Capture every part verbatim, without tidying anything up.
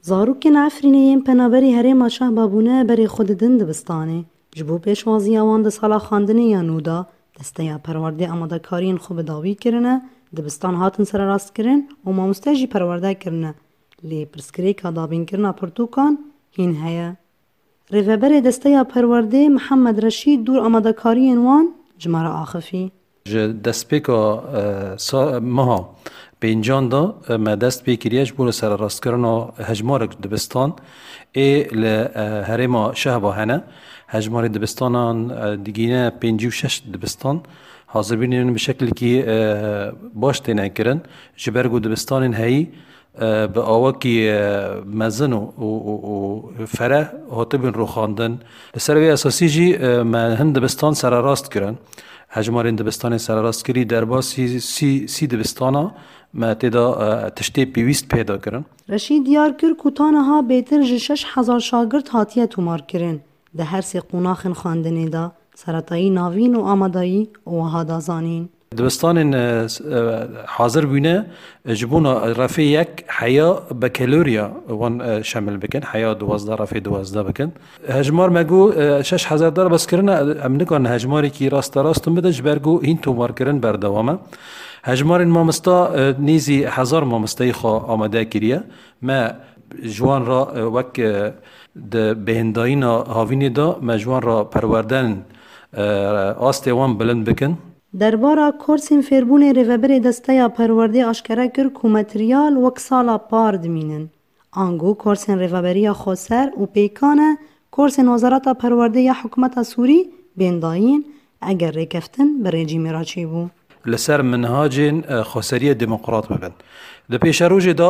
Zarokên Efrînê yên penaberî herêma Şehba bûne berê xwe didin dibistanê. Ji bo pêşwaziya wan di sala xwendinê ya nû de, desteya perwerdê amadekariyên xwe bi dawî kirine, dibistan hatin sererastkirin û mamoste jî perwerde kirine. Lê pirsgirêka dabînkirina pirtûkan hîn heye. Rêveberê Desteya Perwerdê Mihemed Reşîd dûr amadekariyên wan ji me re axifî. Ji destpêka, e, sa-, meha pêncan de, e, me dest pê kiriye ji bo li sererastkirina hejmarek dibistan ê li, e, herêma Şehba hene. Hejmarê dibistanan, e, digihîne pêncî û şeş dibistan. Hazirbûnên bi şekilekî, e, baş têne kirin. Ji ber ku dibistanên heyî e, bi awakî, e, mezin û, û, û, û fereh hatibûn rûxandin. Li ser vê esasî jî, e, me hin dibistan sererast kirin. Hejmarên dibistanên sererastkirî derbasî sî, sî dibistana me tê de, e, tiştê pêwîst peyda kirin. Reşîd diyar kir ku ta niha bêtir ji şeş hezar şagirt hatiye tomarkirin. Di her sê qonaxên xwendinê de, seretayî navîn û amadayî û wiha da zanîn. Dibistanên, e, s-, e, hazir bûne, e, ji bona refê yek heya bekeloriya wan, e, şemil bikin, heya duwazdeh, refê duwazdeh bikin. Hejmar me got, e, şeş hezar derbas kirine, em nikarin hejmarekî rasterast bidin, ji ber ku hîn tomarkirin berdewam e. Hejmarên mamosta, e, nêzî hezar mamosteyê xwe amade kiriye. Me ji wan re, e, wek, e, di bêhindayîna havînê de me ji wan re perwerden, e, astê wan bilind bikin. Derbara korsên fêrbûnê rêveberê Desteya Perwerdê aşkere kir ku materyal wek sala par dimînin. Ango korsên Rêveberiya Xweser û pêkan e, korsên Wezareta Perwerdê ya hikûmeta Sûrî bên dayîn, eger rêkeftin bi rejîmê re çêbû. Li ser minhacên, e, xweseriyê demokrat bibin. Di pêşerojê de,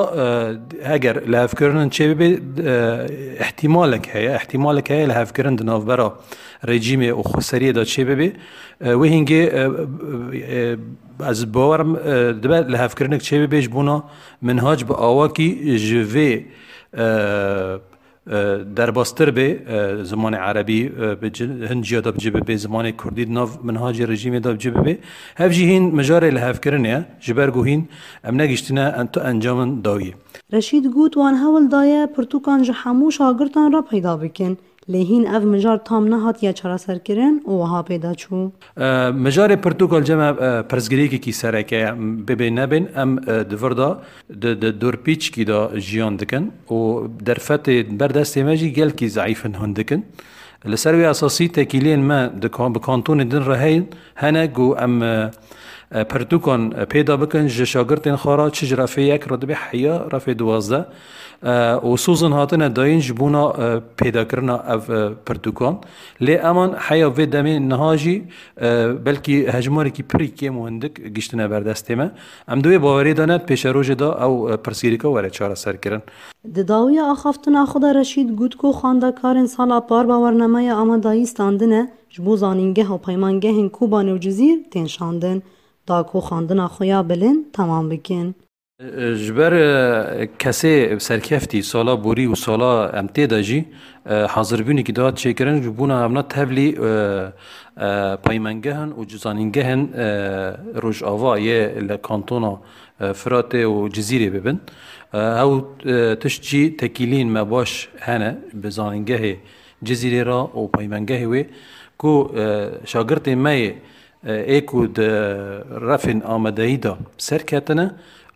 e, eger lihevkirinin çêbibe, e, ihtimalek heye, ihtimalek heye lihevkirin di navbera rejîmê û xweseriyê de çêbibe. E, wê hingê, e, e, ez bawer im, e, dibe lihevkirinek çêbibe ji bona minhac bi awakî ji vê, e, e, derbastir bê, e, zimanê erebî, e, bi ci-, hin ciya de bi cî bibe, zimanê kurdî di nav minhacê rejîmê de bi cî bibe. Hev jî hîn mijarê lihevkirinê ye, ji ber ku hîn em negihiştine en-, tu encamin dawiyê. Reşîd got, wan hewl daye pirtûkan ji hemû şagirtan re peyda bikin, lê hîn ev mijar tam nehatiye çareserkirin û wiha pê de çû. E, mijarê pirtûka li cem me, e, pirsgirêkekî sereke ye. Bibê nebên, em, e, di vir de, di, di dorpîçkî de jiyan dikin û derfetê ber destê me jî gelkî zeîf in hûn dikin. Li ser wê esasî tekîliyên me di kan-, bi kantonê din re heyn, hene ku em, e, e, pirtûkan, e, pêda bikin ji şagirtên xwe re, çi ji refê yek re dibe heya refê duwazdeh. E, û sozin hatine dayîn ji bona, e, pêdakirina ev, e, pirtûkan. Lê eman heya vê demê niha jî, e, belkî hejmarekî pirî kêm û hindik giştine ber destê me. Em di wê bawerê de ne, di pêşerojê de ew, e, pirsgirêka were çareserkirin. Di dawiya axaftina xwe de Reşîd got ku xwendekarên sala par bawernameya amadayî standine, ji bo zanîngeh û peymangehên Kobanê û Cizîr tên şandin, da ku xwendina xwe ya bilind temam bikin. Ji ber, e, kesê serkeftî sala borî û sala em tê de jî, e, hazirbûnekî dihat çêkirin, ji bona evna tevlî, e, e, peymangehan û zanîngehên, e, Rojava yê li kantona, e, Firatê û Cizîrê bibin. E, ew, e, tişt jî tekîliyên me baş hene bi zanîngehê Cizîrê re û peymangehê wê ku, e, şagirtê me yê, e, ê ku di refên amadeyî de serketine,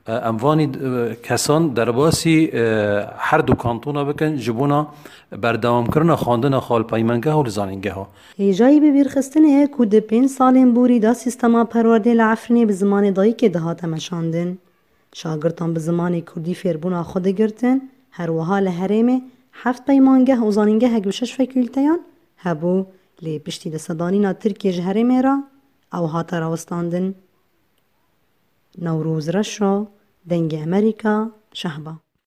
e, em vanî, e, kesan derbasî, e, her du kantona bikin ji bona berdewamkirina xwendina xwe li peymangeh û li zanîngeha. Hêjayî bibîrxistinê ye ku di pênc salên borî de sîstema perwerdê li Efrînê bi zimanê dayikê dihate meşandin. Şagirtan bi zimanê kurdî fêrbûna xwe digirtin, her wiha li herêmê heft peymangeh û zanîngehek bi şeş fakulteyan hebû, lê piştî destdanîna Tirkiyê ji herêmê re ew hate rawestandin. Newroz Reşo, Dengê Amerîka, Şehba.